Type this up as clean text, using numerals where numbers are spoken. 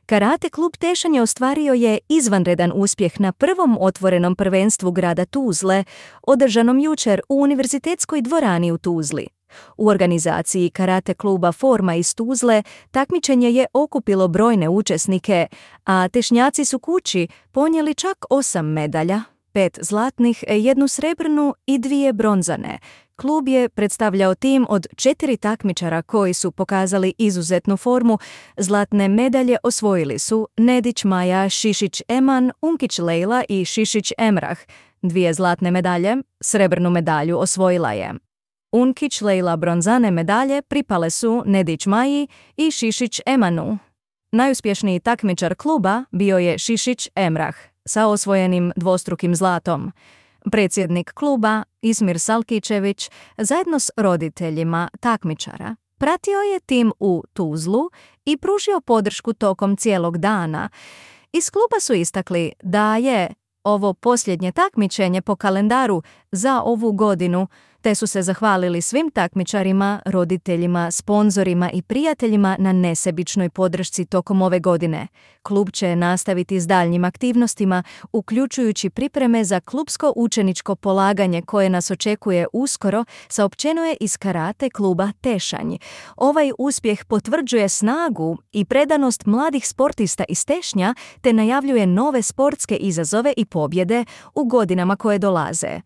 Karate klub Tešanj ostvario je izvanredan uspjeh na prvom otvorenom prvenstvu grada Tuzle, održanom jučer u Univerzitetskoj dvorani u Tuzli. U organizaciji karate kluba Forma iz Tuzle takmičenje je okupilo brojne učesnike, a Tešnjaci su kući ponijeli čak 8 medalja, 5 zlatnih, 1 srebrnu i 2 bronzane. Klub je predstavljao tim od 4 takmičara koji su pokazali izuzetnu formu. Zlatne medalje osvojili su Nedić Maja, Šišić Eman, Unkić Lejla i Šišić Emrah. 2 zlatne medalje, srebrnu medalju osvojila je Unkić Lejla. Bronzane medalje pripale su Nedić Maji i Šišić Emanu. Najuspješniji takmičar kluba bio je Šišić Emrah sa osvojenim dvostrukim zlatom. Predsjednik kluba, Ismir Salkićević, zajedno s roditeljima takmičara, pratio je tim u Tuzlu i pružio podršku tokom cijelog dana. Iz kluba su istakli da je ovo posljednje takmičenje po kalendaru za ovu godinu, te su se zahvalili svim takmičarima, roditeljima, sponzorima i prijateljima na nesebičnoj podršci tokom ove godine. Klub će nastaviti s daljnjim aktivnostima, uključujući pripreme za klubsko učeničko polaganje koje nas očekuje uskoro, saopćeno je iz karate kluba Tešanj. Ovaj uspjeh potvrđuje snagu i predanost mladih sportista iz Tešnja, te najavljuje nove sportske izazove i pobjede u godinama koje dolaze.